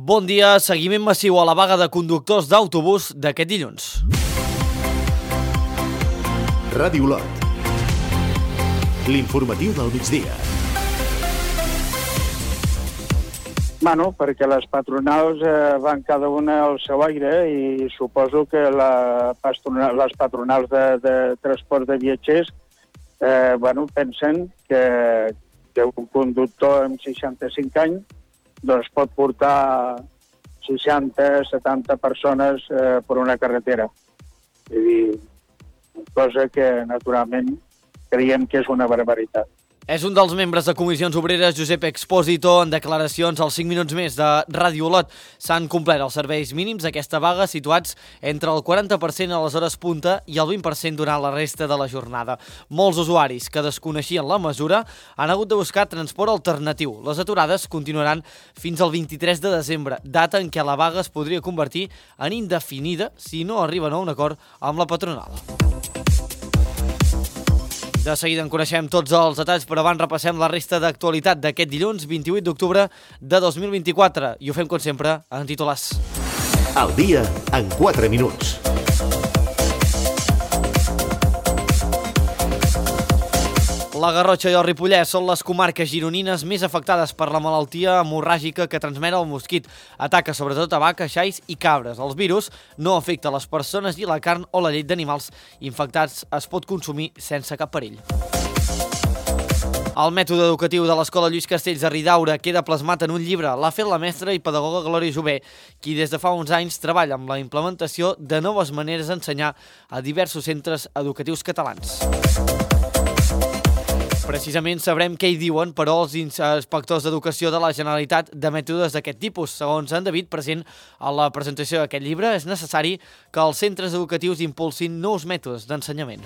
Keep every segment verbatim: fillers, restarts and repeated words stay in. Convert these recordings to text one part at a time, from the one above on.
Bon dia, seguiment massiu a la vaga de conductors d'autobús d'aquest dilluns. Ràdio Olot. L'informatiu del migdia. Bueno, perquè les patronals eh, van cada una al seu aire i suposo que la patrona, les patronals de, de transport de viatgers eh, bueno, pensen que, que un conductor amb seixanta-cinc anys doncs pot portar seixanta, setanta persones eh, per una carretera. És dir, cosa que, naturalment, creiem que és una barbaritat. És un dels membres de Comissions Obreres, Josep Expósito, en declaracions als cinc minuts més de Ràdio Olot. S'han complert els serveis mínims d'aquesta vaga, situats entre el quaranta per cent a les hores punta i el vint per cent durant la resta de la jornada. Molts usuaris que desconeixien la mesura han hagut de buscar transport alternatiu. Les aturades continuaran fins al vint-i-tres de desembre, data en què la vaga es podria convertir en indefinida si no arriben a un acord amb la patronal. De seguida en coneixem tots els detalls, però abans repassem la resta d'actualitat d'aquest dilluns, vint-i-vuit d'octubre de dos mil vint-i-quatre. I ho fem, com sempre, en titulars. El dia en quatre minuts. La Garrotxa i el Ripollès són les comarques gironines més afectades per la malaltia hemorràgica que transmet el mosquit. Ataca sobretot a vaques, xais i cabres. Els virus no afecta les persones i la carn o la llet d'animals infectats es pot consumir sense cap perill. El mètode educatiu de l'Escola Lluís Castells de Ridaura queda plasmat en un llibre. L'ha fet la mestra i pedagoga Glòria Jové, qui des de fa uns anys treballa amb la implementació de noves maneres d'ensenyar a diversos centres educatius catalans. Precisament sabrem què hi diuen, però, els inspectors d'educació de la Generalitat de mètodes d'aquest tipus. Segons en David, present a la presentació d'aquest llibre, és necessari que els centres educatius impulsin nous mètodes d'ensenyament.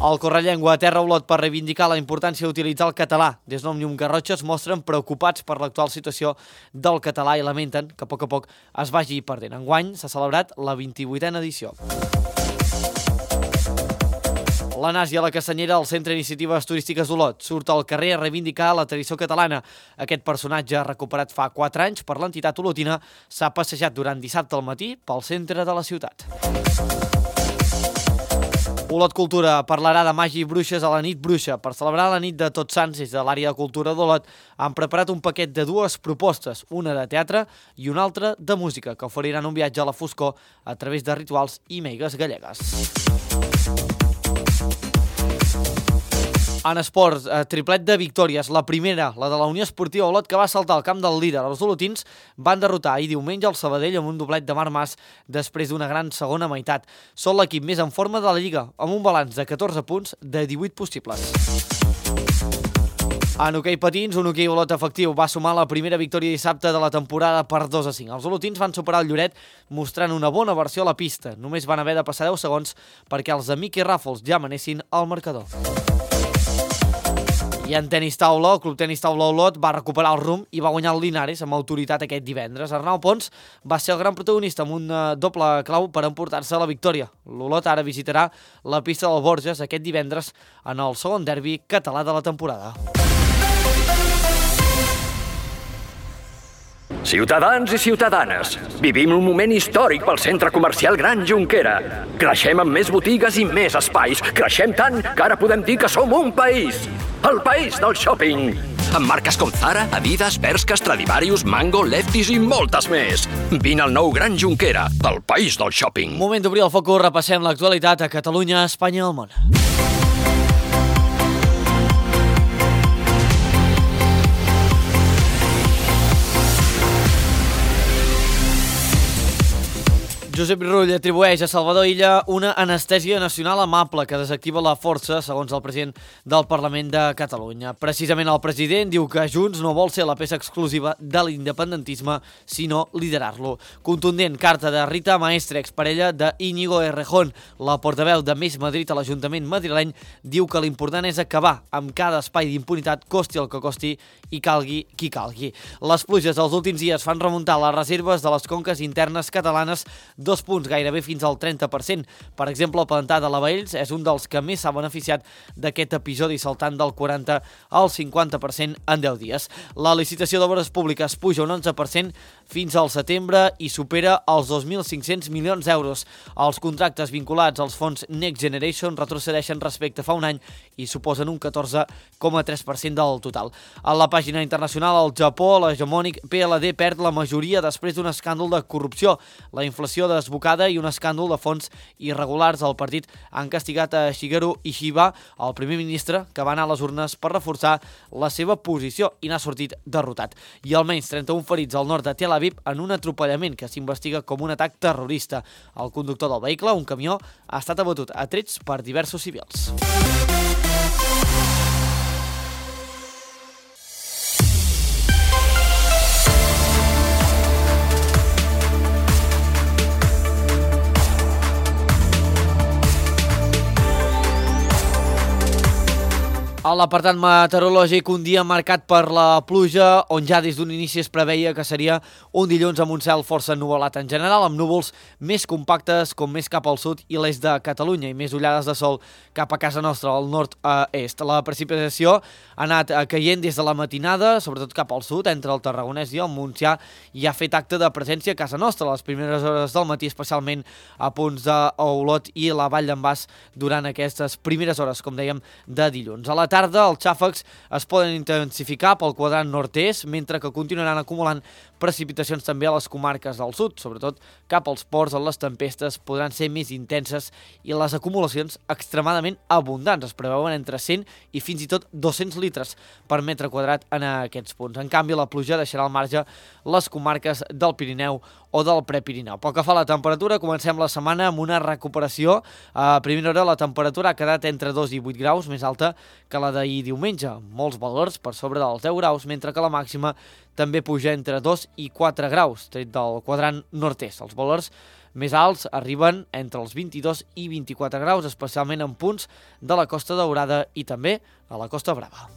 El Correllengua aterra a Olot per reivindicar la importància d'utilitzar el català. Des d'Òmnium Garrotxa es mostren preocupats per l'actual situació del català i lamenten que a poc a poc es vagi perdent. Enguany s'ha celebrat la vint-i-vuitena edició. La Nàsia a la Castanyera, al Centre d'Iniciatives Turístiques d'Olot, surt al carrer a reivindicar la tradició catalana. Aquest personatge, recuperat fa quatre anys per l'entitat olotina, s'ha passejat durant dissabte al matí pel centre de la ciutat. Olot Cultura parlarà de màgia i bruixes a la nit bruixa. Per celebrar la nit de Tots Sants, des de l'àrea de cultura d'Olot, han preparat un paquet de dues propostes, una de teatre i una altra de música, que oferiran un viatge a la foscor a través de rituals i meigues gallegues. En esports, eh, triplet de victòries. La primera, la de la Unió Esportiva Olot, que va saltar al camp del líder. Els olotins van derrotar ahir diumenge el Sabadell amb un doblet de Marc Mas després d'una gran segona meitat. Són l'equip més en forma de la Lliga, amb un balanç de catorze punts de divuit possibles. En hoquei patins, un hoquei Olot efectiu va sumar la primera victòria dissabte de la temporada per dos a cinc. Els olotins van superar el Lloret mostrant una bona versió a la pista. Només van haver de passar deu segons perquè els de Miqui Ràfols ja manessin al marcador. I en tenis taula, el Club Tenis Taula Olot va recuperar el rumb i va guanyar el Linares amb autoritat aquest divendres. Arnau Pons va ser el gran protagonista amb un doble clau per emportar-se la victòria. L'Olot ara visitarà la pista del Borges aquest divendres en el segon derbi català de la temporada. Ciutadans i ciutadanes, vivim un moment històric pel centre comercial Gran Jonquera. Creixem amb més botigues i més espais. Creixem tant que ara podem dir que som un país. El país del shopping. Amb marques com Zara, Adidas, Bershka, Stradivarius, Mango, Lefties i moltes més. Vine al nou Gran Jonquera, el país del shopping. Moment d'obrir el focus, repassem l'actualitat a Catalunya, Espanya i el món. Josep Rull atribueix a Salvador Illa una anestèsia nacional amable que desactiva la força, segons el president del Parlament de Catalunya. Precisament el president diu que Junts no vol ser la peça exclusiva de l'independentisme, sinó liderar-lo. Contundent carta de Rita Maestre, exparella de Íñigo Errejón. La portaveu de Més Madrid a l'Ajuntament madrileny diu que l'important és acabar amb cada espai d'impunitat, costi el que costi i calgui qui calgui. Les pluges dels últims dies fan remuntar les reserves de les conques internes catalanes, dos punts, gairebé fins al trenta per cent. Per exemple, el Pantà de Lavalls és un dels que més s'ha beneficiat d'aquest episodi, saltant del quaranta al cinquanta per cent en deu dies. La licitació d'obres públiques puja un onze per cent fins al setembre i supera els dos mil cinc-cents milions d'euros. Els contractes vinculats als fons Next Generation retrocedeixen respecte a fa un any i suposen un catorze coma tres per cent del total. A la pàgina internacional, al Japó, l'hegemònic P L D perd la majoria després d'un escàndol de corrupció. La inflació desbocada i un escàndol de fons irregulars al partit han castigat a Shigeru Ishiba, el primer ministre, que va anar a les urnes per reforçar la seva posició i n'ha sortit derrotat. I almenys trenta-un ferits al nord de Tel Aviv en un atropellament que s'investiga com un atac terrorista. El conductor del vehicle, un camió, ha estat abatut a trets per diversos civils. A l'apartat meteorològic, un dia marcat per la pluja, on ja des d'un inici es preveia que seria un dilluns amb un cel força ennuvolat en general, amb núvols més compactes com més cap al sud i l'est de Catalunya i més ullades de sol cap a casa nostra, al nord-est. La precipitació ha anat caient des de la matinada, sobretot cap al sud, entre el Tarragonès i el Montsià, i ha fet acte de presència a casa nostra a les primeres hores del matí, especialment a punts d'Olot i la Vall d'en Bas durant aquestes primeres hores, com dèiem, de dilluns. A la tarda, els xàfecs es poden intensificar pel quadrant nord-est, mentre que continuaran acumulant precipitacions també a les comarques del sud, sobretot cap als ports, on les tempestes podran ser més intenses i les acumulacions extremadament abundants. Es preveuen entre cent i fins i tot dos-cents litres per metre quadrat en aquests punts. En canvi, la pluja deixarà al marge les comarques del Pirineu o del Prepirineu. Pel que fa a la temperatura, comencem la setmana amb una recuperació. A primera hora la temperatura ha quedat entre dos i vuit graus, més alta que la d'ahir diumenge. Molts valors per sobre dels deu graus, mentre que la màxima també puja entre dos i quatre graus, tret del quadrant nord-est. Els valors més alts arriben entre els vint-i-dos i vint-i-quatre graus, especialment en punts de la Costa Daurada i també a la Costa Brava.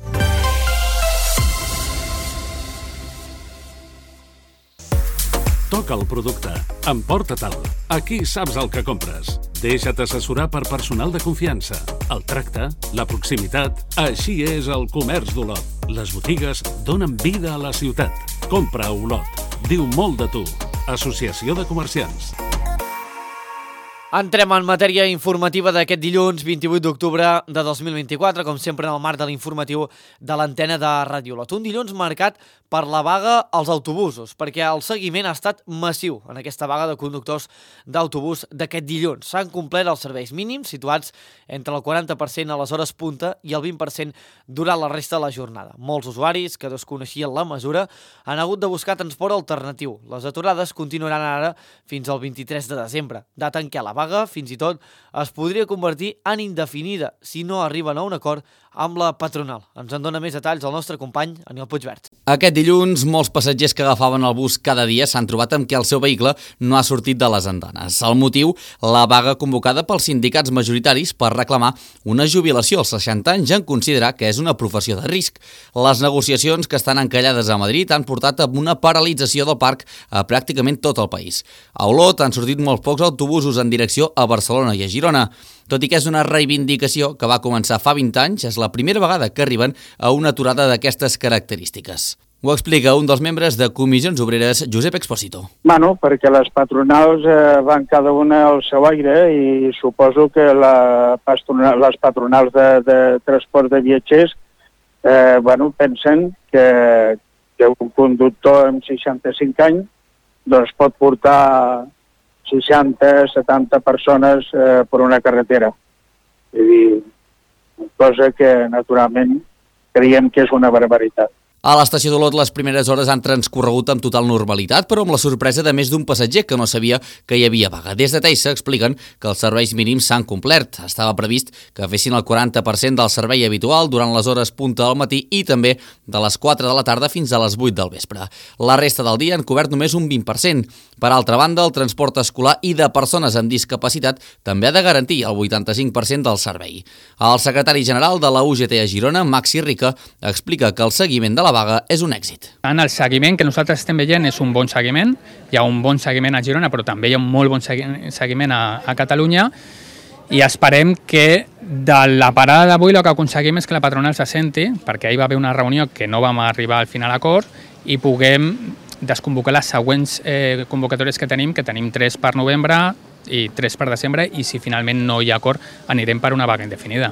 Toca el producte. Emporta-te'l. Aquí saps el que compres. Deixa't assessorar per personal de confiança. El tracte, la proximitat... Així és el comerç d'Olot. Les botigues donen vida a la ciutat. Compra a Olot. Diu molt de tu. Associació de Comerciants. Entrem en matèria informativa d'aquest dilluns vint-i-vuit d'octubre de dos mil vint-i-quatre, com sempre en el marc de l'informatiu de l'antena de Ràdio Olot. Un dilluns marcat per la vaga als autobusos, perquè el seguiment ha estat massiu en aquesta vaga de conductors d'autobús d'aquest dilluns. S'han complert els serveis mínims, situats entre el quaranta per cent a les hores punta i el vint per cent durant la resta de la jornada. Molts usuaris que desconeixien la mesura han hagut de buscar transport alternatiu. Les aturades continuaran ara fins al vint-i-tres de desembre, data en què la vaga vaga, fins i tot, es podria convertir en indefinida si no arriben a un acord amb la patronal. Ens en dona més detalls el nostre company, Aniol Puigvert. Aquest dilluns, molts passatgers que agafaven el bus cada dia s'han trobat amb que el seu vehicle no ha sortit de les andanes. El motiu, la vaga convocada pels sindicats majoritaris per reclamar una jubilació als seixanta anys en considerar que és una professió de risc. Les negociacions que estan encallades a Madrid han portat a una paralització del parc a pràcticament tot el país. A Olot han sortit molts pocs autobusos en direcció a Barcelona i a Girona. Tot i que és una reivindicació que va començar fa vint anys, és la primera vegada que arriben a una aturada d'aquestes característiques. Ho explica un dels membres de Comissions Obreres, Josep Expósito. Bueno, perquè les patronals eh, van cada una al seu aire i suposo que la patronal, les patronals de, de transport de viatgers eh, bueno, pensen que, que un conductor amb seixanta-cinc anys doncs pot portar seixanta, setanta persones eh, per una carretera. És dir, cosa que naturalment creiem que és una barbaritat. A l'estació d'Olot les primeres hores han transcorregut amb total normalitat, però amb la sorpresa de més d'un passatger que no sabia que hi havia vaga. Des de Teissa expliquen que els serveis mínims s'han complert. Estava previst que fessin el quaranta per cent del servei habitual durant les hores punta del matí i també de les quatre de la tarda fins a les vuit del vespre. La resta del dia han cobert només un vint per cent. Per altra banda, el transport escolar i de persones amb discapacitat també ha de garantir el vuitanta-cinc per cent del servei. El secretari general de la U G T a Girona, Maxi Rica, explica que el seguiment de la la vaga és un èxit. En el seguiment que nosaltres estem veient és un bon seguiment, hi ha un bon seguiment a Girona, però també hi ha un molt bon seguiment a, a Catalunya, i esperem que de la parada d'avui el que aconseguim és que la patronal se senti, perquè ahir va haver una reunió que no vam arribar al final a acord, i puguem desconvocar les següents eh, convocatòries que tenim, que tenim tres per novembre i tres per desembre, i si finalment no hi ha acord anirem per una vaga indefinida.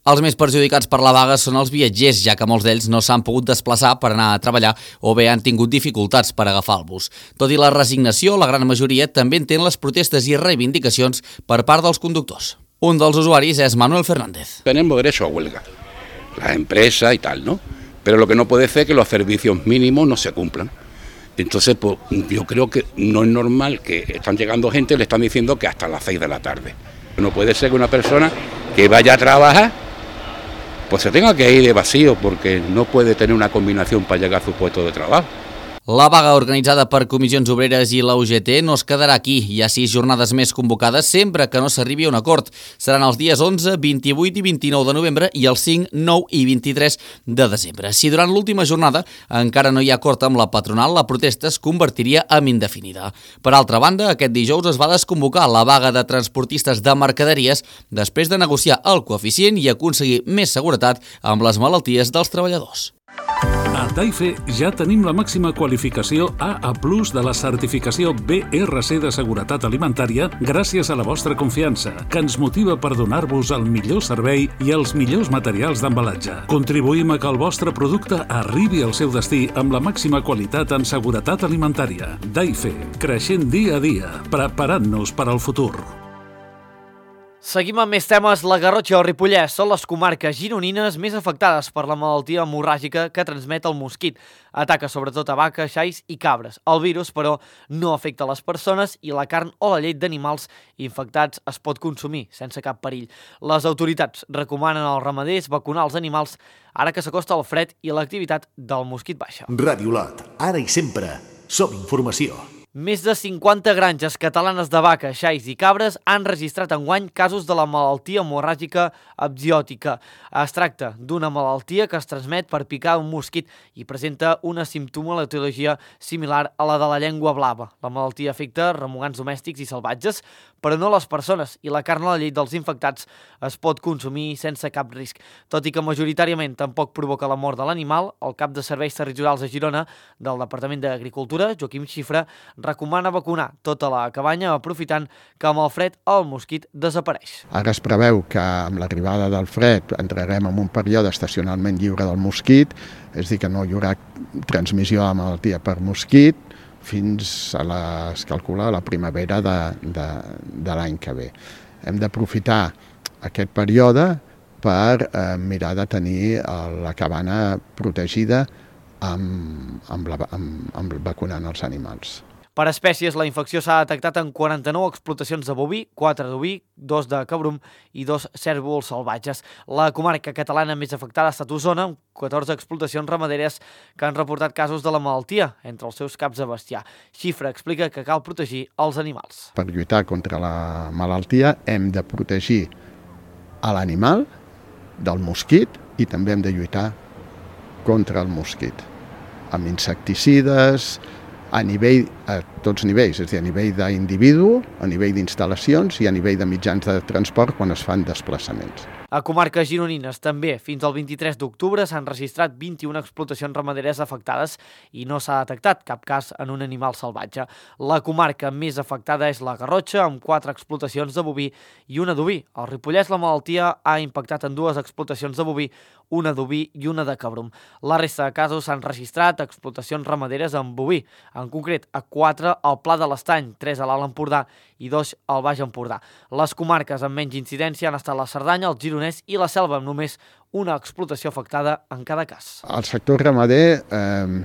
Els més perjudicats per la vaga són els viatgers, ja que molts d'ells no s'han pogut desplaçar per anar a treballar o bé han tingut dificultats per agafar el bus. Tot i la resignació, la gran majoria també entén les protestes i reivindicacions per part dels conductors. Un dels usuaris és Manuel Fernández. Tenemos derecho a huelga, las empresas y tal, ¿no? Pero lo que no puede ser es que los servicios mínimos no se cumplan. Entonces, pues, yo creo que no es normal que están llegando gente y le están diciendo que hasta las seis de la tarde. No puede ser que una persona que vaya a trabajar pues se tenga que ir de vacío porque no puede tener una combinación para llegar a su puesto de trabajo. La vaga organitzada per Comissions Obreres i la U G T no es quedarà aquí. Hi ha sis jornades més convocades sempre que no s'arribi a un acord. Seran els dies onze, vint-i-vuit i vint-i-nou de novembre i els cinc, nou i vint-i-tres de desembre. Si durant l'última jornada encara no hi ha acord amb la patronal, la protesta es convertiria en indefinida. Per altra banda, aquest dijous es va desconvocar la vaga de transportistes de mercaderies després de negociar el coeficient i aconseguir més seguretat amb les malalties dels treballadors. A Taife ja tenim la màxima qualificació A A plus de la certificació B R C de Seguretat Alimentària gràcies a la vostra confiança, que ens motiva per donar-vos el millor servei i els millors materials d'embalatge. Contribuïm a que el vostre producte arribi al seu destí amb la màxima qualitat en seguretat alimentària. Taife, creixent dia a dia, preparant-nos per al futur. Seguim amb més temes. La Garrotxa o Ripollès són les comarques gironines més afectades per la malaltia hemorràgica que transmet el mosquit. Ataca sobretot a vaques, xais i cabres. El virus, però, no afecta les persones i la carn o la llet d'animals infectats es pot consumir sense cap perill. Les autoritats recomanen als ramaders vacunar els animals ara que s'acosta el fred i l'activitat del mosquit baixa. Ràdio Lot, ara i sempre, som informació. Més de cinquanta granges catalanes de vaques, xais i cabres han registrat enguany casos de la malaltia hemorràgica epziòtica. Es tracta d'una malaltia que es transmet per picar un mosquit i presenta una simptomatologia similar a la de la llengua blava. La malaltia afecta remugants domèstics i salvatges, però no les persones, i la carn o la llet dels infectats es pot consumir sense cap risc. Tot i que majoritàriament tampoc provoca la mort de l'animal, el cap de Serveis Territorials a Girona del Departament d'Agricultura, Joaquim Xifra, recomana vacunar tota la cabanya aprofitant que amb el fred el mosquit desapareix. Ara es preveu que amb l'arribada del fred entrarem en un període estacionalment lliure del mosquit, és a dir, que no hi haurà transmissió de la malaltia per mosquit fins a la, es calcula, la primavera de, de, de l'any que ve. Hem d'aprofitar aquest període per eh, mirar de tenir la cabana protegida amb, amb, la, amb, amb vacunant els animals. Per espècies, la infecció s'ha detectat en quaranta-nou explotacions de boví, quatre d'oví, dos de cabrum i dos cérvols salvatges. La comarca catalana més afectada ha estat Osona, amb catorze explotacions ramaderes que han reportat casos de la malaltia entre els seus caps de bestiar. Xifra explica que cal protegir els animals. Per lluitar contra la malaltia hem de protegir a l'animal del mosquit i també hem de lluitar contra el mosquit amb insecticides, a nivell, a tots nivells, és a dir, a nivell d'individu, a nivell d'instal·lacions i a nivell de mitjans de transport quan es fan desplaçaments. A comarques gironines també, fins al vint-i-tres d'octubre s'han registrat vint-i-una explotacions ramaderes afectades i no s'ha detectat cap cas en un animal salvatge. La comarca més afectada és la Garrotxa, amb quatre explotacions de boví i una d'oví. Al Ripollès la malaltia ha impactat en dues explotacions de boví, una d'oví i una de cabrum. La resta de casos s'han registrat explotacions ramaderes amb boví, en concret a quatre al Pla de l'Estany, tres a l'Alt Empordà i dos al Baix Empordà. Les comarques amb menys incidència han estat la Cerdanya, el Gironès i la Selva, amb només una explotació afectada en cada cas. El sector ramader, eh,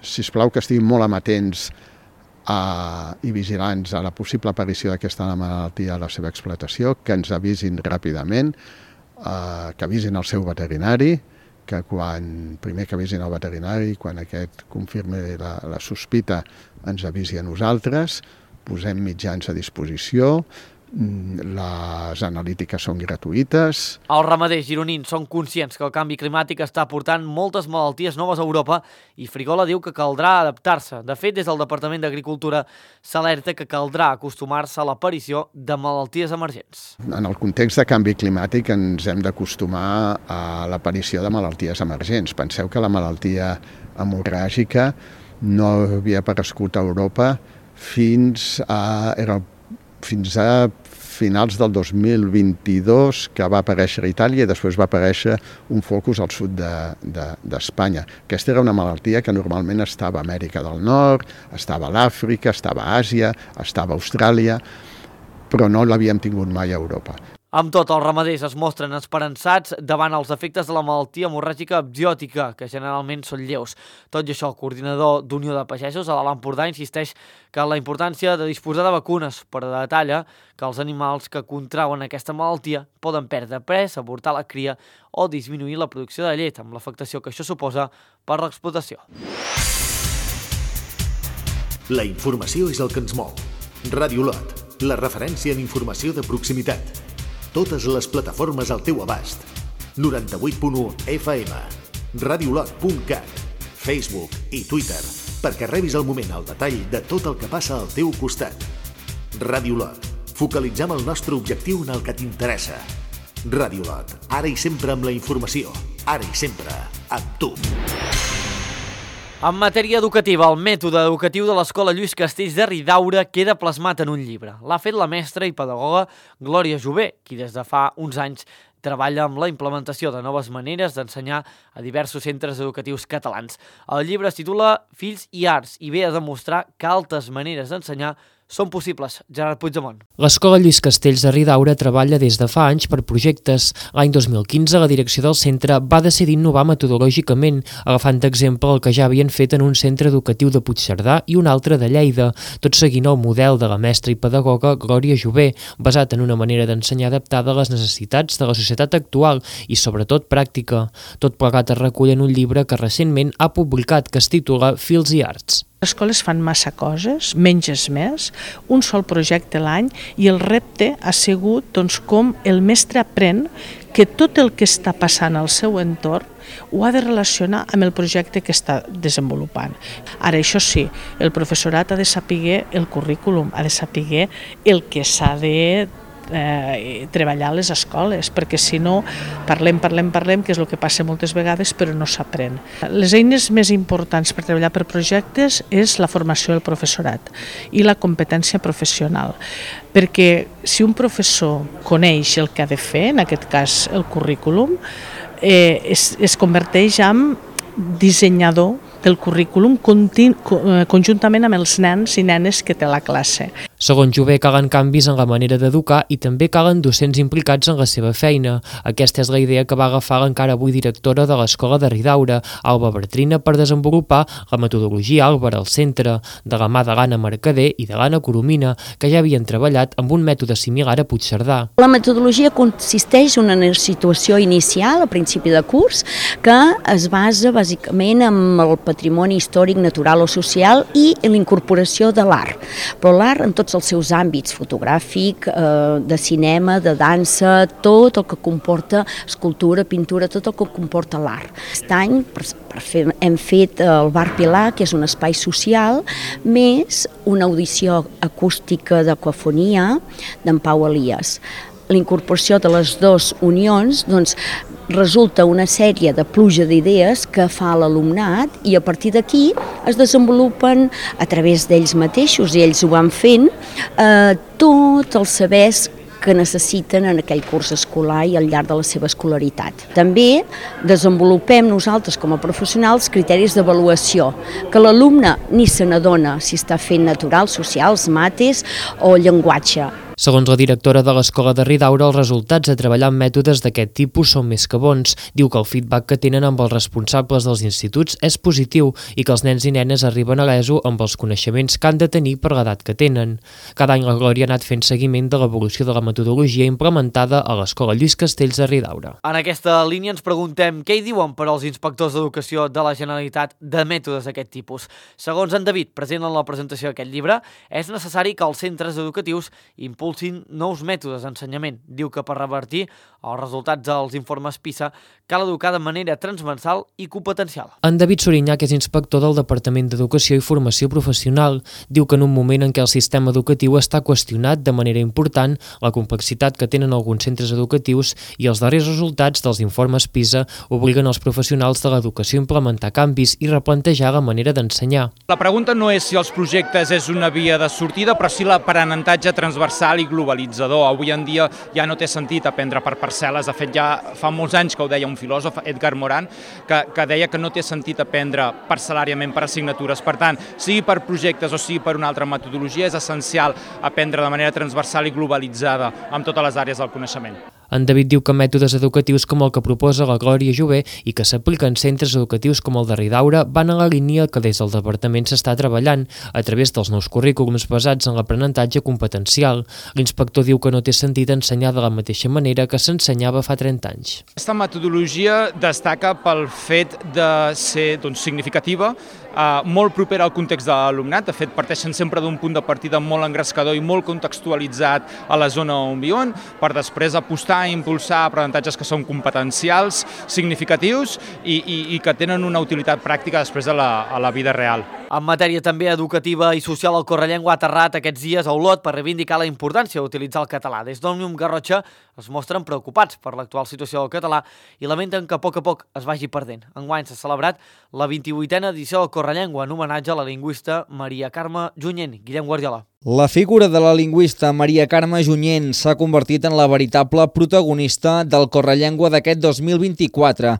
sisplau que estiguin molt amatents a, i vigilants a la possible aparició d'aquesta malaltia a la seva explotació, que ens avisin ràpidament, eh, que avisin el seu veterinari, que quan, primer que avisin el veterinari, quan aquest confirmi la, la sospita ens avisi a nosaltres, posem mitjans a disposició les analítiques són gratuïtes. Els ramaders gironins són conscients que el canvi climàtic està portant moltes malalties noves a Europa i Frigola diu que caldrà adaptar-se. De fet, des del Departament d'Agricultura s'alerta que caldrà acostumar-se a l'aparició de malalties emergents. En el context de canvi climàtic ens hem d'acostumar a l'aparició de malalties emergents. Penseu que la malaltia hemorràgica no havia aparegut a Europa fins a, era, fins a finals del dos mil vint-i-dos, que va aparèixer a Itàlia i després va aparèixer un focus al sud d'Espanya. De, de, Aquesta era una malaltia que normalment estava a Amèrica del Nord, estava a l'Àfrica, estava a Àsia, estava a Austràlia, però no l'havíem tingut mai a Europa. Amb tot, els ramaders es mostren esperançats davant els efectes de la malaltia hemorràgica abziòtica, que generalment són lleus. Tot i això, el coordinador d'Unió de Pagesos a l'Alt Empordà insisteix que la importància de disposar de vacunes, però detalla que els animals que contrauen aquesta malaltia poden perdre pes, avortar la cria o disminuir la producció de llet, amb l'afectació que això suposa per l'explotació. La informació és el que ens mou. Ràdio Lot, la referència en informació de proximitat. Totes les plataformes al teu abast. noranta-vuit punt u F M, radiolot punt cat, Facebook i Twitter, perquè rebis al moment el detall de tot el que passa al teu costat. Ràdio Lot, focalitzem el nostre objectiu en el que t'interessa. Ràdio Lot, ara i sempre amb la informació, ara i sempre amb tu. En matèria educativa, el mètode educatiu de l'Escola Lluís Castells de Ridaura queda plasmat en un llibre. L'ha fet la mestra i pedagoga Glòria Jové, qui des de fa uns anys treballa amb la implementació de noves maneres d'ensenyar a diversos centres educatius catalans. El llibre es titula Fills i Arts i ve a demostrar que altres maneres d'ensenyar són possibles. Gerard Puigdemont. L'Escola Lluís Castells de Ridaura treballa des de fa anys per projectes. L'any dos mil quinze, la direcció del centre va decidir innovar metodològicament, agafant d'exemple el que ja havien fet en un centre educatiu de Puigcerdà i un altre de Lleida, tot seguint el model de la mestra i pedagoga Glòria Jové, basat en una manera d'ensenyar adaptada a les necessitats de la societat actual i, sobretot, pràctica. Tot plegat es recull en un llibre que recentment ha publicat, que es titula Fills i Arts. Les escoles fan massa coses, menys és més, un sol projecte a l'any i el repte ha sigut doncs, com el mestre aprèn que tot el que està passant al seu entorn ho ha de relacionar amb el projecte que està desenvolupant. Ara, això sí, el professorat ha de saber el currículum, ha de saber el que s'ha de Eh, treballar a les escoles, perquè si no parlem, parlem, parlem, que és el que passa moltes vegades, però no s'aprèn. Les eines més importants per treballar per projectes és la formació del professorat i la competència professional, perquè si un professor coneix el que ha de fer, en aquest cas el currículum, eh, es, es converteix en dissenyador del currículum conjuntament amb els nens i nenes que té la classe. Segons Jové, calen canvis en la manera d'educar i també calen docents implicats en la seva feina. Aquesta és la idea que va agafar l'encara avui directora de l'Escola de Ridaura, Alba Bertrina, per desenvolupar la metodologia Àlvar al centre, de la mà de l'Anna Mercader i de l'Anna Coromina, que ja havien treballat amb un mètode similar a Puigcerdà. La metodologia consisteix en una situació inicial, a principi de curs, que es basa bàsicament en el patrimoni històric, natural o social i en l'incorporació de l'art. Però l'art en tots els seus àmbits, fotogràfic, eh, de cinema, de dansa, tot el que comporta escultura, pintura, tot el que comporta l'art. Aquest any per, per fer, hem fet el Bar Pilar, que és un espai social, més una audició acústica d'aquafonia d'en Pau Elias. L'incorporació de les dues unions doncs, resulta una sèrie de pluja d'idees que fa l'alumnat i a partir d'aquí es desenvolupen a través d'ells mateixos, i ells ho van fent, eh, tots els sabers que necessiten en aquell curs escolar i al llarg de la seva escolaritat. També desenvolupem nosaltres com a professionals criteris d'avaluació, que l'alumne ni se n'adona si està fent naturals, socials, mates o llenguatge. Segons la directora de l'Escola de Ridaura, els resultats de treballar amb mètodes d'aquest tipus són més que bons. Diu que el feedback que tenen amb els responsables dels instituts és positiu i que els nens i nenes arriben a l'ESO amb els coneixements que han de tenir per l'edat que tenen. Cada any la Glòria ha anat fent seguiment de l'evolució de la metodologia implementada a l'Escola Lluís Castells de Ridaura. En aquesta línia ens preguntem què hi diuen per als inspectors d'educació de la Generalitat de mètodes d'aquest tipus. Segons en David, present en la presentació d'aquest llibre, és necessari que els centres educatius impulsin impulsin nous mètodes d'ensenyament. Diu que per revertir els resultats dels informes PISA cal educar de manera transversal i competencial. En David Sorinyà, que és inspector del Departament d'Educació i Formació Professional, diu que en un moment en què el sistema educatiu està qüestionat de manera important, la complexitat que tenen alguns centres educatius i els darrers resultats dels informes PISA obliguen els professionals de l'educació a implementar canvis i replantejar la manera d'ensenyar. La pregunta no és si els projectes és una via de sortida, però sí l'aprenentatge transversal i globalitzador. Avui en dia ja no té sentit aprendre per parcel·les. De fet, ja fa molts anys que ho deia un filòsof, Edgar Morin, que, que deia que no té sentit aprendre parcel·làriament per assignatures. Per tant, sigui per projectes o sigui per una altra metodologia, és essencial aprendre de manera transversal i globalitzada amb totes les àrees del coneixement. En David diu que mètodes educatius com el que proposa la Glòria Jové i que s'aplica en centres educatius com el de Ridaura van a la línia que des del departament s'està treballant a través dels nous currículums basats en l'aprenentatge competencial. L'inspector diu que no té sentit ensenyar de la mateixa manera que s'ensenyava fa trenta anys. Aquesta metodologia destaca pel fet de ser doncs, significativa, Uh, molt propera al context de l'alumnat. De fet, parteixen sempre d'un punt de partida molt engrescador i molt contextualitzat a la zona on viuen, per després apostar i impulsar aprenentatges que són competencials, significatius i, i, i que tenen una utilitat pràctica després a la, a la vida real. En matèria també educativa i social, el Correllengua ha aterrat aquests dies a Olot per reivindicar la importància d'utilitzar el català. Des d'Òmnium Garrotxa es mostren preocupats per l'actual situació del català i lamenten que a poc a poc es vagi perdent. Enguany s'ha celebrat la vint-i-vuitena edició del Correllengua en homenatge a la lingüista Maria Carme Junyent. Guillem Guardiola. La figura de la lingüista Maria Carme Junyent s'ha convertit en la veritable protagonista del Correllengua d'aquest dos mil vint-i-quatre.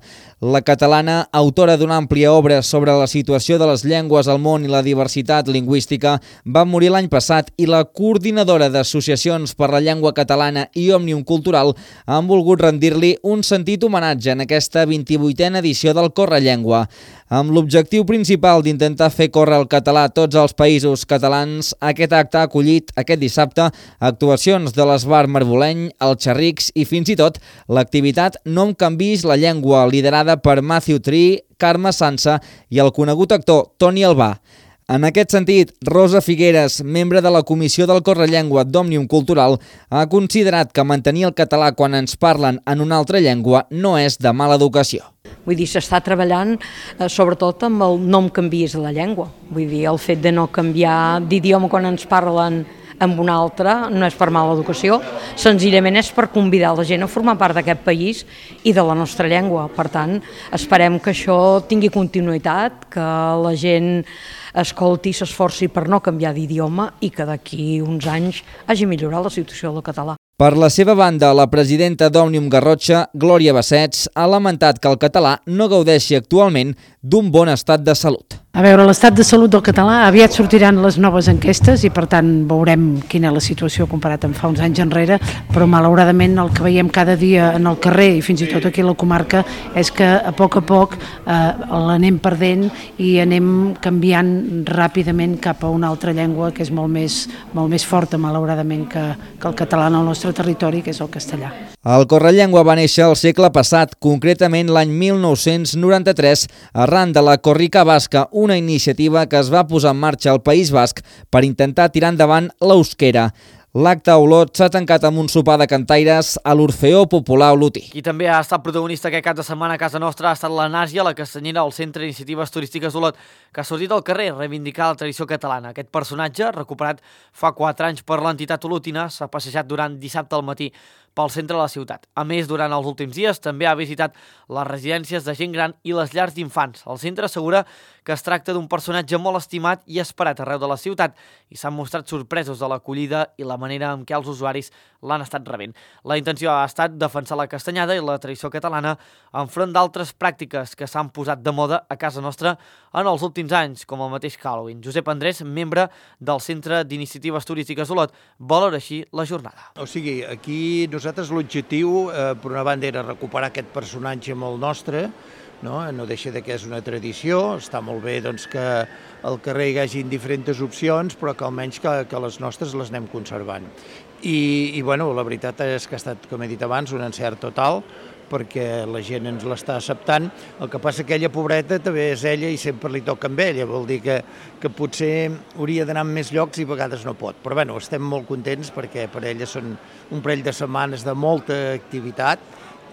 La catalana, autora d'una àmplia obra sobre la situació de les llengües al món i la diversitat lingüística, va morir l'any passat i la coordinadora d'associacions per la llengua catalana i Òmnium Cultural han volgut rendir-li un sentit homenatge en aquesta vint-i-vuitena edició del Correllengua. Amb l'objectiu principal d'intentar fer córrer el català a tots els països catalans, aquest acte ha acollit aquest dissabte actuacions de l'Esbar Marboleny, el Xerrics i fins i tot l'activitat No em canvis la llengua, liderada per Matthew Tree, Carme Sansa i el conegut actor Toni Albà. En aquest sentit, Rosa Figueres, membre de la Comissió del Correllengua d'Òmnium Cultural, ha considerat que mantenir el català quan ens parlen en una altra llengua no és de mala educació. Vull dir, s'està treballant eh, sobretot amb el no em canvies la llengua. Vull dir, el fet de no canviar d'idioma quan ens parlen amb una altra no és per mala educació, senzillament és per convidar la gent a formar part d'aquest país i de la nostra llengua. Per tant, esperem que això tingui continuïtat, que la gent escolti i s'esforci per no canviar d'idioma i que d'aquí uns anys hagi millorat la situació del català. Per la seva banda, la presidenta d'Òmnium Garrotxa, Glòria Bassets, ha lamentat que el català no gaudeixi actualment d'un bon estat de salut. A veure, l'estat de salut del català, aviat sortiran les noves enquestes i per tant veurem quina és la situació comparat amb fa uns anys enrere, però malauradament el que veiem cada dia en el carrer i fins i tot aquí a la comarca és que a poc a poc eh, l'anem perdent i anem canviant ràpidament cap a una altra llengua que és molt més, molt més forta malauradament que, que el català en el nostre territori, que és el castellà. El Correllengua va néixer al segle passat, concretament l'any mil nou-cents noranta-tres, arran de la Corrica Basca, una iniciativa que es va posar en marxa al País Basc per intentar tirar endavant l'euskera. L'acte a Olot s'ha tancat amb un sopar de cantaires a l'Orfeó Popular Olotí. Qui també ha estat protagonista aquest cap de setmana a casa nostra ha estat la Nàsia, la castanyera del Centre d'Iniciatives Turístiques d'Olot, que ha sortit al carrer a reivindicar la tradició catalana. Aquest personatge, recuperat fa quatre anys per l'entitat olotina, s'ha passejat durant dissabte al matí pel centre de la ciutat. A més, durant els últims dies també ha visitat les residències de gent gran i les llars d'infants. El centre assegura que es tracta d'un personatge molt estimat i esperat arreu de la ciutat i s'han mostrat sorpresos de l'acollida i la manera en què els usuaris l'han estat rebent. La intenció ha estat defensar la castanyada i la tradició catalana enfront d'altres pràctiques que s'han posat de moda a casa nostra en els últims anys, com el mateix Halloween. Josep Andrés, membre del Centre d'Iniciatives Turístiques Olot, valora així la jornada. O sigui, aquí nosaltres l'objectiu, eh, per una banda, era recuperar aquest personatge molt nostre, no? No deixa de que és una tradició, està molt bé doncs, que al carrer hi hagi diferents opcions, però que almenys que, que les nostres les anem conservant. I, i bueno, la veritat és que ha estat, com he dit abans, un encert total, perquè la gent ens l'està acceptant. El que passa que ella, pobreta, també és ella i sempre li toca amb ella, vol dir que, que potser hauria d'anar en més llocs i a vegades no pot. Però bueno, estem molt contents perquè per ella són un parell de setmanes de molta activitat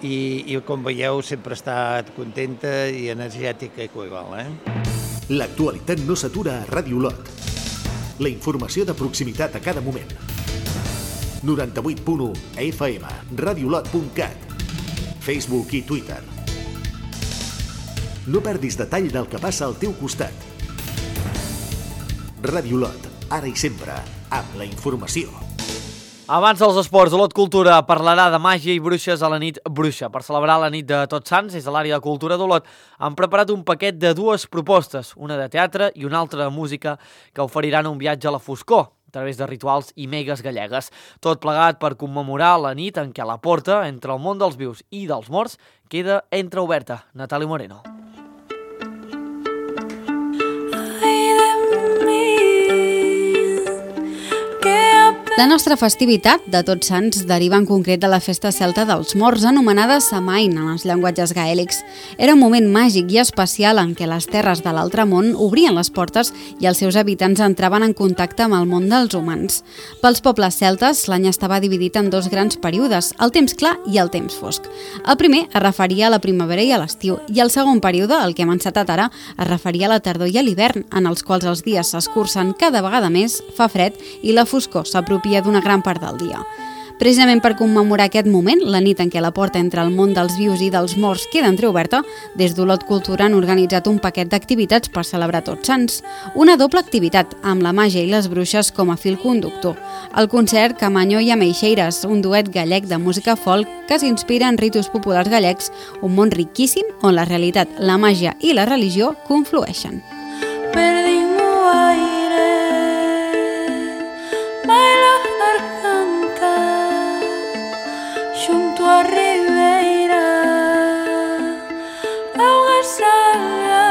i, i com veieu sempre està contenta i energètica i igual, eh? L'actualitat no s'atura a Ràdio Olot. La informació de proximitat a cada moment. noranta-vuit punt u F M, radiolot punt cat, Facebook i Twitter. No perdis detall del que passa al teu costat. Ràdio Olot, ara i sempre, amb la informació. Abans dels esports, Olot Cultura parlarà de màgia i bruixes a la nit bruixa. Per celebrar la nit de Tots Sants, des de l'àrea de cultura d'Olot, han preparat un paquet de dues propostes, una de teatre i una altra de música, que oferiran un viatge a la foscor, a través de rituals i megues gallegues. Tot plegat per commemorar la nit en què la porta entre el món dels vius i dels morts queda entreoberta. Natàlia Moreno. La nostra festivitat de Tots Sants deriva en concret de la festa celta dels morts, anomenada Samain en els llenguatges gaèlics. Era un moment màgic i especial en què les terres de l'altre món obrien les portes i els seus habitants entraven en contacte amb el món dels humans. Pels pobles celtes, l'any estava dividit en dos grans períodes, el temps clar i el temps fosc. El primer es referia a la primavera i a l'estiu, i el segon període, el que hem encetat ara, es referia a la tardor i a l'hivern, en els quals els dies s'escurcen cada vegada més, fa fred i la foscor s'apropia d'una gran part del dia. Precisament per commemorar aquest moment, la nit en què la porta entre el món dels vius i dels morts queda entreoberta, des d'Olot Cultura han organitzat un paquet d'activitats per celebrar Tots Sants. Una doble activitat, amb la màgia i les bruixes com a fil conductor. El concert Camanyo i Ameixeiras, un duet gallec de música folk que s'inspira en ritus populars gallecs, un món riquíssim on la realitat, la màgia i la religió conflueixen. Perdimos aire, baila garganta, junto a Ribeira, agua salada.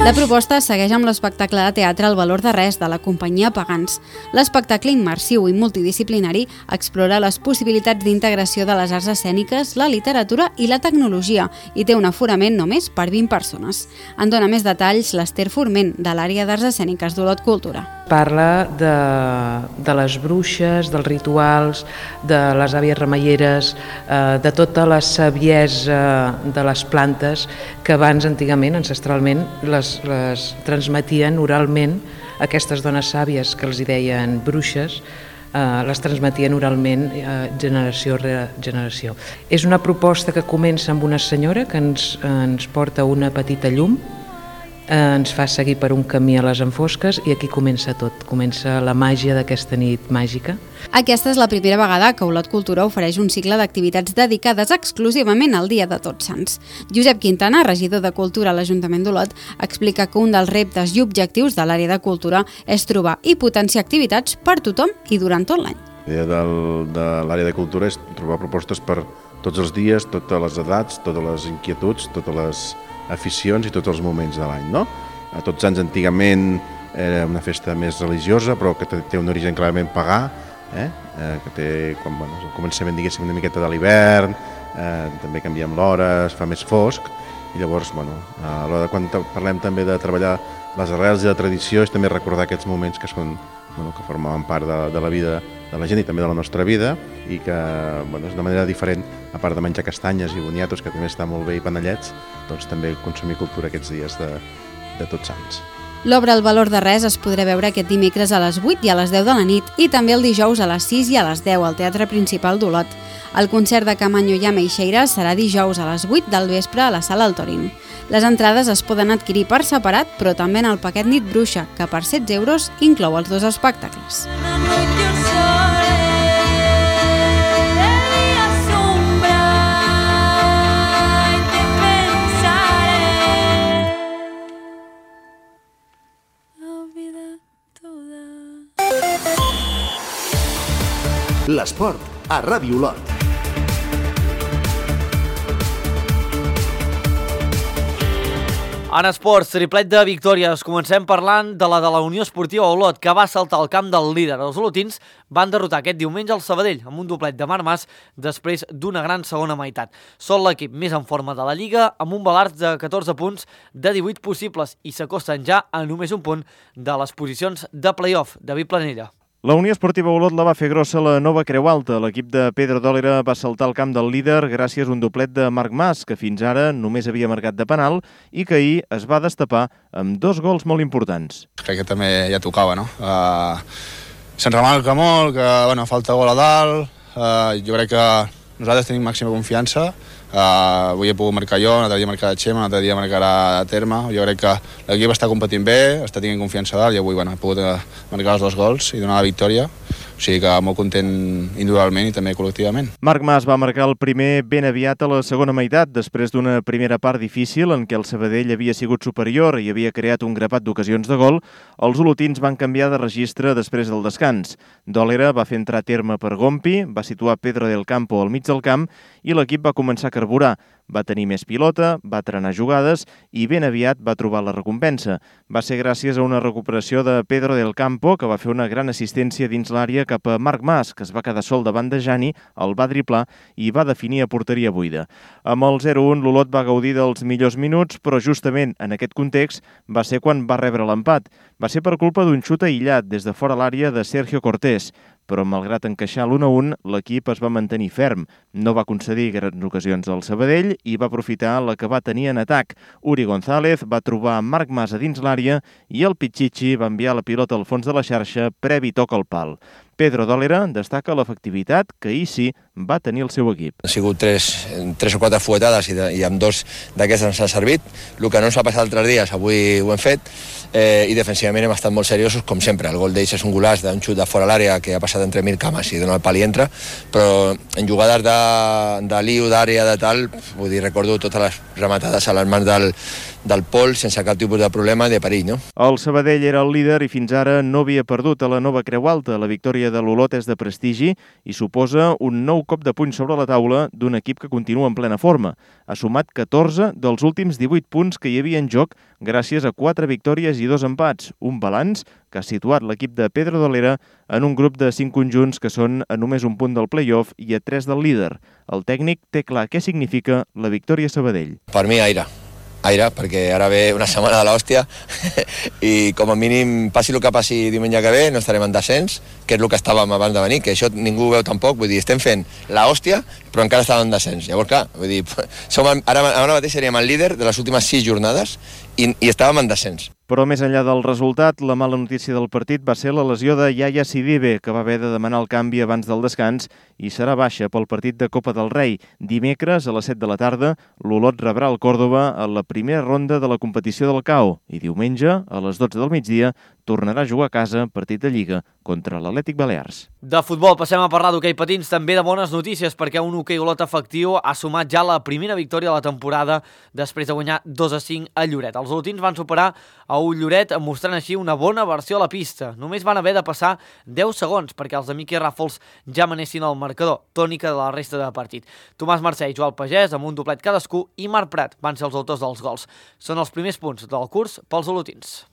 La proposta segueix amb l'espectacle de teatre El valor de res, de la companyia Pagans. L'espectacle immersiu i multidisciplinari explora les possibilitats d'integració de les arts escèniques, la literatura i la tecnologia i té un aforament només per vint persones. En dona més detalls l'Ester Forment, de l'àrea d'arts escèniques d'Olot Cultura. Parla de, de les bruixes, dels rituals, de les àvies remeieres, eh, de tota la saviesa de les plantes que abans, antigament, ancestralment, les, les transmetien oralment. Aquestes dones sàvies que els hi deien bruixes, eh, les transmetien oralment eh, generació rere generació. És una proposta que comença amb una senyora que ens, ens porta una petita llum, ens fa seguir per un camí a les enfosques i aquí comença tot, comença la màgia d'aquesta nit màgica. Aquesta és la primera vegada que Olot Cultura ofereix un cicle d'activitats dedicades exclusivament al Dia de Tots Sants. Josep Quintana, regidor de Cultura a l'Ajuntament d'Olot, explica que un dels reptes i objectius de l'àrea de cultura és trobar i potenciar activitats per tothom i durant tot l'any. La idea de l'àrea de cultura és trobar propostes per tots els dies, totes les edats, totes les inquietuds, totes les aficions i tots els moments de l'any, no? A Tots Sants antigament era una festa més religiosa, però que té un origen clarament pagà, eh? Eh, que té, quan, bueno, el començament, diguéssim, una miqueta de l'hivern, eh, també canviem l'hora, es fa més fosc, i llavors, bueno, a l'hora de quan parlem també de treballar les arrels i la tradició, és també recordar aquests moments que són, bueno, que formaven part de, de la vida de la gent i també de la nostra vida i que, bueno, és una manera diferent, a part de menjar castanyes i boniatos, que també està molt bé, i panellets, doncs també consumir cultura aquests dies de, de Tots Sants. L'obra El valor de res es podrà veure aquest dimecres a les vuit i a les deu de la nit i també el dijous a les sis i a les deu al Teatre Principal d'Olot. El concert de Camanyo i Ameixeiras serà dijous a les vuit del vespre a la Sala Altorin. Les entrades es poden adquirir per separat, però també en el paquet Nit Bruixa, que per setze euros inclou els dos espectacles. L'esport a Ràdio Olot. En esports, triplet de victòries. Comencem parlant de la de la Unió Esportiva Olot, que va saltar al camp del líder. Els olotins van derrotar aquest diumenge el Sabadell amb un doblet de Marc Mas després d'una gran segona meitat. Són l'equip més en forma de la Lliga, amb un balanç de catorze punts de divuit possibles i s'acosten ja a només un punt de les posicions de play-off. David Planella. La Unió Esportiva Olot la va fer grossa la nova Creu Alta. L'equip de Pedro Dòlera va saltar al camp del líder gràcies a un doblet de Marc Mas, que fins ara només havia marcat de penal i que ahir es va destapar amb dos gols molt importants. Crec que també ja tocava, no? Uh, Se'n remarca molt que bueno, falta gol a dalt. Uh, jo crec que nosaltres tenim màxima confiança. Uh, avui he pogut marcar jo, un altre dia marcar la Xema, un altre dia marcarà a Terme. Jo crec que l'equip està competint bé, està tenint confiança dalt i avui bueno, he pogut marcar els dos gols i donar la victòria. O sigui que molt content individualment i també col·lectivament. Marc Mas va marcar el primer ben aviat a la segona meitat, després d'una primera part difícil en què el Sabadell havia sigut superior i havia creat un grapat d'ocasions de gol. Els olotins van canviar de registre després del descans. Dòlera va fer entrar a Terme per Gompi, va situar Pedro del Campo al mig del camp i l'equip va començar a carburar. Va tenir més pilota, va trenar jugades i ben aviat va trobar la recompensa. Va ser gràcies a una recuperació de Pedro del Campo, que va fer una gran assistència dins l'àrea cap a Marc Mas, que es va quedar sol davant de Jani, el va driblar i va definir a porteria buida. Amb el zero un, l'Olot va gaudir dels millors minuts, però justament en aquest context va ser quan va rebre l'empat. Va ser per culpa d'un xut aïllat des de fora l'àrea de Sergio Cortés, però malgrat encaixar l'un a un, l'equip es va mantenir ferm. No va concedir grans ocasions al Sabadell i va aprofitar la que va tenir en atac. Uri González va trobar Marc Mas a dins l'àrea i el Pichichi va enviar la pilota al fons de la xarxa previ toc al pal. Pedro Dòlera destaca l'efectivitat que ahir sí va tenir el seu equip. Ha sigut tres, tres o quatre fuetades i, de, i amb dos d'aquestes ens ha servit. El que no ens ha passat altres dies, avui ho hem fet, eh, i defensivament hem estat molt seriosos, com sempre. El gol d'ells és un golaç d'un xut de fora l'àrea que ha passat entre mil cames i dona el pal i entra, però en jugades de, de liu, d'àrea, de tal, vull dir, recordo totes les rematades a les mans del, del Pol sense cap tipus de problema de perill, no? El Sabadell era el líder i fins ara no havia perdut a la nova Creu Alta. La victòria de l'Olot és de prestigi i suposa un nou cop de puny sobre la taula d'un equip que continua en plena forma. Ha sumat catorze dels últims divuit punts que hi havia en joc gràcies a quatre victòries i dos empats, un balanç que ha situat l'equip de Pedro Dòlera en un grup de cinc conjunts que són a només un punt del play-off i a tres del líder. El tècnic té clar què significa la victòria a Sabadell. Per mi, aire. Aire, perquè ara ve una setmana de l'hòstia i com a mínim passi el que passi diumenge que ve no estarem en descens, que és el que estàvem abans de venir, que això ningú ho veu tampoc, vull dir, estem fent l'hòstia però encara estàvem en descens. Llavors, clar, vull dir, som, ara, ara mateix seríem el líder de les últimes sis jornades i, i estàvem en descens. Però més enllà del resultat, la mala notícia del partit va ser la lesió de Yaya Sidibe, que va haver de demanar el canvi abans del descans i serà baixa pel partit de Copa del Rei. Dimecres, a les set de la tarda, l'Olot rebrà el Còrdova a la primera ronda de la competició del C A O i diumenge, a les dotze del migdia, tornarà a jugar a casa partit de Lliga contra l'Atlètic Balears. De futbol passem a parlar d'hoquei patins, també de bones notícies, perquè un hoquei Olot efectiu ha sumat ja la primera victòria de la temporada després de guanyar dos a cinc a Lloret. Els olotins van superar a un Lloret mostrant així una bona versió a la pista. Només van haver de passar deu segons perquè els de Miqui Ràfols ja manessin el marcador, tònica de la resta de partit. Tomàs Mercè i Joel Pagès, amb un doblet cadascú, i Marc Prat van ser els autors dels gols. Són els primers punts del curs pels olotins.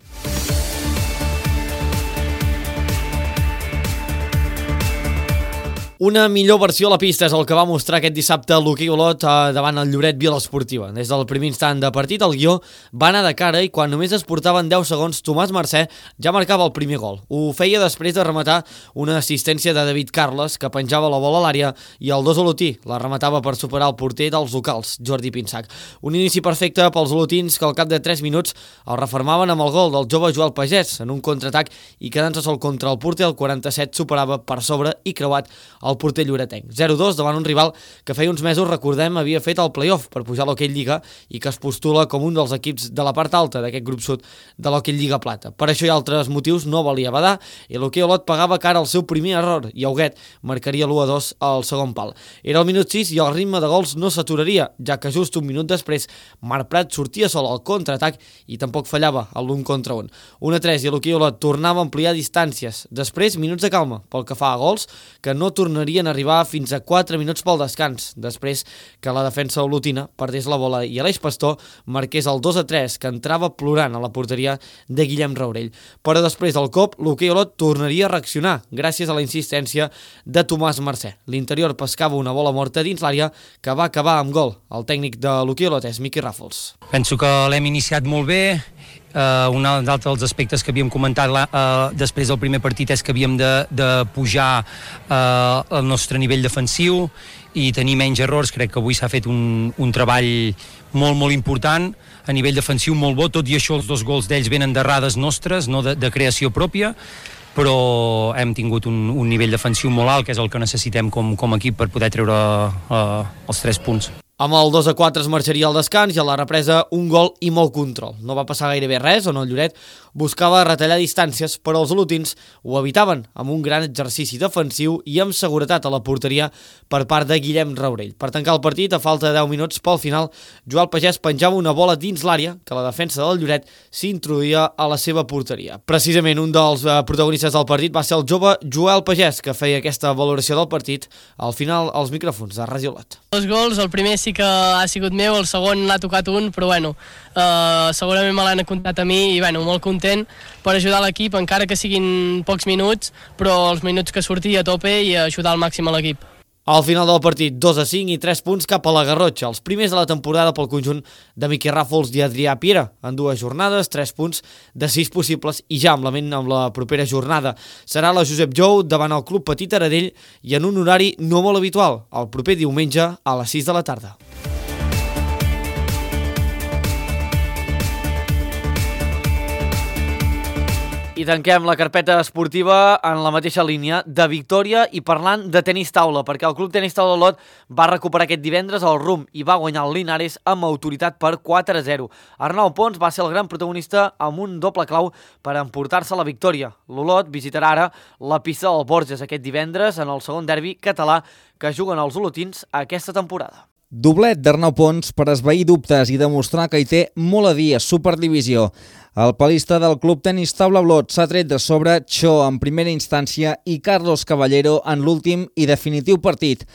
Una millor versió a la pista és el que va mostrar aquest dissabte l'hoquei Olot davant el Lloret Vila Esportiva. Des del primer instant de partit, el guió va anar de cara i quan només es portaven deu segons, Tomàs Mercè ja marcava el primer gol. Ho feia després de rematar una assistència de David Carles, que penjava la bola a l'àrea, i el dos olotí la rematava per superar el porter dels locals, Jordi Pinsac. Un inici perfecte pels olotins que al cap de tres minuts el reformaven amb el gol del jove Joel Pagès en un contraatac i quedant-se sol contra el porter, el quaranta-set superava per sobre i creuat el porter lloretenc. zero dos davant un rival que feia uns mesos, recordem, havia fet el play-off per pujar a l'Hoquei Lliga i que es postula com un dels equips de la part alta d'aquest grup sud de l'Hoquei Lliga Plata. Per això i altres motius no valia badar i l'Hoquei Olot pagava cara al seu primer error i Auguet marcaria l'u a dos al segon pal. Era el minut sis i el ritme de gols no s'aturaria, ja que just un minut després Marc Prat sortia sol al contraatac i tampoc fallava a l'un contra un. un a tres i l'Hoquei Olot tornava a ampliar distàncies. Després, minuts de calma pel que fa a gols, que no tornaria tornarien a arribar fins a quatre minuts pel descans, després que la defensa olotina perdés la bola i Aleix Pastor marqués el dos a tres, que entrava plorant a la porteria de Guillem Raurell. Però després del cop, l'Hoquei Olot tornaria a reaccionar, gràcies a la insistència de Tomàs Mercè. L'interior pescava una bola morta dins l'àrea que va acabar amb gol. El tècnic de l'Hoquei Olot és Miqui Ràfols. Penso que l'hem iniciat molt bé. Uh, un altre dels aspectes que havíem comentat uh, després del primer partit és que havíem de, de pujar uh, el nostre nivell defensiu i tenir menys errors. Crec que avui s'ha fet un, un treball molt, molt important a nivell defensiu, molt bo, tot i això els dos gols d'ells venen d'errades nostres, no de, de creació pròpia, però hem tingut un, un nivell defensiu molt alt, que és el que necessitem com, com a equip per poder treure uh, els tres punts. Amb el dos a quatre es marxaria al descans i a la represa un gol i molt control. No va passar gairebé res, on el Lloret buscava retallar distàncies, però els olotins ho evitaven amb un gran exercici defensiu i amb seguretat a la porteria per part de Guillem Raurell. Per tancar el partit, a falta de deu minuts pel final, Joel Pagès penjava una bola dins l'àrea que la defensa del Lloret s'introduïa a la seva porteria. Precisament un dels protagonistes del partit va ser el jove Joel Pagès, que feia aquesta valoració del partit al final als micròfons de Ràdio Olot. Els gols, el primer sí que ha sigut meu, el segon l'ha tocat un, però bueno, eh, segurament me l'han comptat a mi i bueno, molt content per ajudar l'equip, encara que siguin pocs minuts, però els minuts que surti a tope i ajudar al màxim a l'equip. Al final del partit, dos a cinc i tres punts cap a la Garrotxa, els primers de la temporada pel conjunt de Miqui Ràfols i Adrià Piera. En dues jornades, tres punts de sis possibles i ja amb la ment amb la propera jornada. Serà la Josep Jou davant el Club Petit Aradell i en un horari no molt habitual, el proper diumenge a les sis de la tarda. I tanquem la carpeta esportiva en la mateixa línia de victòria i parlant de tenis taula, perquè el Club Tenis Taula Olot va recuperar aquest divendres el rumb i va guanyar el Linares amb autoritat per quatre a zero. Arnau Pons va ser el gran protagonista amb un doble clau per emportar-se la victòria. L'Olot visitarà ara la pista del Borges aquest divendres en el segon derbi català que juguen els olotins aquesta temporada. Doblet d'Arnau Pons per esvair dubtes i demostrar que hi té molt a dir a Superdivisió. El palista del Club Tenis Taula Olot s'ha tret de sobre Cho en primera instància i Carlos Caballero en l'últim i definitiu partit.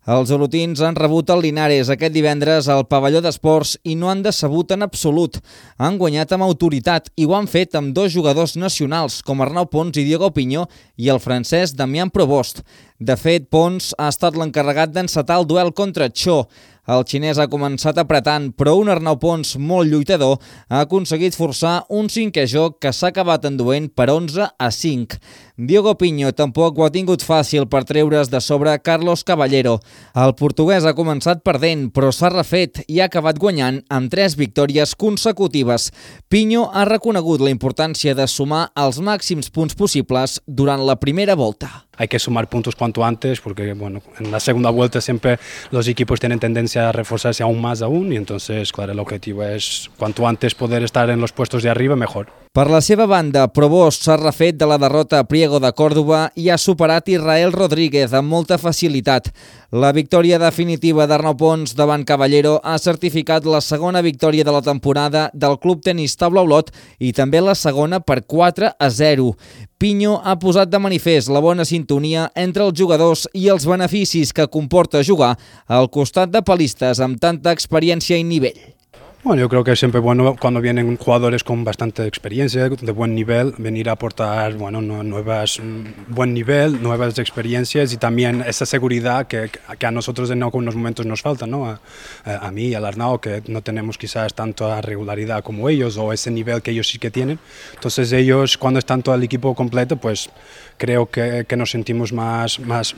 Els olotins han rebut el Linares aquest divendres al pavelló d'esports i no han decebut en absolut. Han guanyat amb autoritat i ho han fet amb dos jugadors nacionals com Arnau Pons i Diego Pinyó i el francès Damián Provost. De fet, Pons ha estat l'encarregat d'encetar el duel contra Cho. El xinès ha començat apretant, però un Arnau Pons molt lluitador ha aconseguit forçar un cinquè joc que s'ha acabat enduent per onze a cinc. Diego Pinyó tampoc ho ha tingut fàcil per treure's de sobre Carlos Caballero. El portuguès ha començat perdent, però s'ha refet i ha acabat guanyant amb tres victòries consecutives. Pinyó ha reconegut la importància de sumar els màxims punts possibles durant la primera volta. Hay que sumar puntos cuanto antes porque bueno, en la segunda vuelta siempre los equipos tienen tendencia a reforzarse aún más aún y entonces, claro, el objetivo es cuanto antes poder estar en los puestos de arriba mejor. Per la seva banda, Provost s'ha refet de la derrota a Priego de Còrdova i ha superat Israel Rodríguez amb molta facilitat. La victòria definitiva d'Arnau Pons davant Caballero ha certificat la segona victòria de la temporada del Club Tenis Taula Olot i també la segona per quatre a zero. Pinyó ha posat de manifest la bona sintonia entre els jugadors i els beneficis que comporta jugar al costat de palistes amb tanta experiència i nivell. Bueno, yo creo que es siempre bueno cuando vienen jugadores con bastante experiencia, de buen nivel, venir a aportar bueno, nuevas, buen nivel, nuevas experiencias y también esa seguridad que, que a nosotros en algunos momentos nos falta, ¿no? A, a mí y al Arnau, que no tenemos quizás tanta regularidad como ellos o ese nivel que ellos sí que tienen. Entonces ellos, cuando están todo el equipo completo, pues creo que, que nos sentimos más... más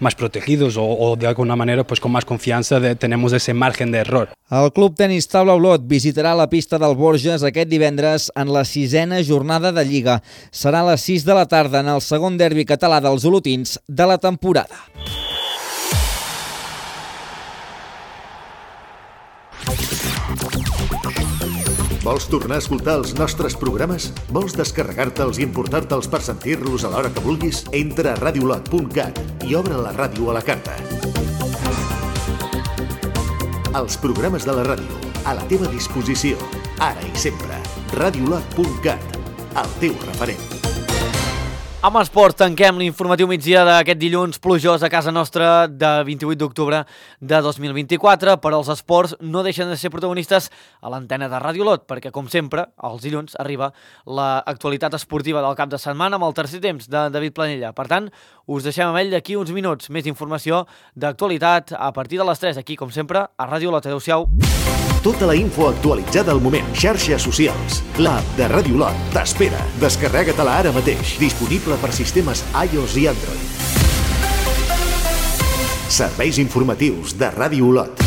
más protegidos o, o de alguna manera pues con más confianza de, tenemos ese margen de error. El Club Tenis Taula Olot visitarà la pista del Borges aquest divendres en la sisena jornada de Lliga. Serà a les sis de la tarda en el segon derbi català dels olotins de la temporada. Vols tornar a escoltar els nostres programes? Vols descarregar-te'ls i importar-te'ls per sentir-los a l'hora que vulguis? Entra a radiolot punt cat i obre la ràdio a la carta. Els programes de la ràdio, a la teva disposició, ara i sempre. radiolot punt cat, el teu referent. Amb esports tanquem l'informatiu migdia d'aquest dilluns plujós a casa nostra de vint-i-vuit d'octubre de dos mil vint-i-quatre, però els esports no deixen de ser protagonistes a l'antena de Ràdio Olot, perquè com sempre, els dilluns arriba l'actualitat esportiva del cap de setmana amb el tercer temps de David Planella. Per tant, us deixem amb ell d'aquí uns minuts. Més informació d'actualitat a partir de les tres, aquí com sempre a Ràdio Olot. Adéu-siau. Tota la info actualitzada al moment. Xarxes socials. L'app de Ràdio Olot t'espera. Descarrega-te-la ara mateix. Disponible per sistemes iOS i Android. Serveis informatius de Ràdio Olot.